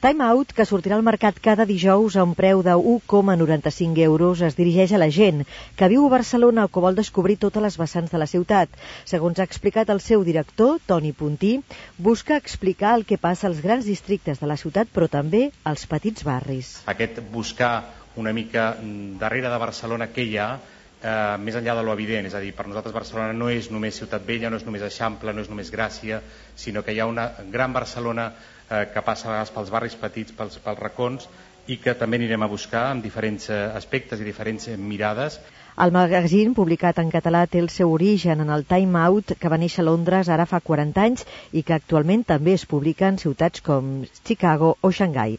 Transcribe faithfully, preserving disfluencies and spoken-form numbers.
Time Out, que sortirà al mercat cada dijous a un preu de u coma noranta-cinc euros, es dirigeix a la gent que viu a Barcelona o que vol descobrir totes les vessants de la ciutat. Segons ha explicat el seu director, Toni Puntí, busca explicar el que passa als grans districtes de la ciutat, però també als petits barris. Aquest buscar una mica darrere de Barcelona què hi ha, eh, més enllà de lo evident, és a dir, per nosaltres Barcelona no és només Ciutat Vella, no és només Eixample, no és només Gràcia, sinó que hi ha una gran Barcelona eh, que passa a vegades pels barris petits, pels, pels racons, i que també anirem a buscar amb diferents aspectes i diferents mirades. El magazín, publicat en català, té el seu origen en el Time Out, que va néixer a Londres ara fa quaranta anys i que actualment també es publica en ciutats com Chicago o Xangai.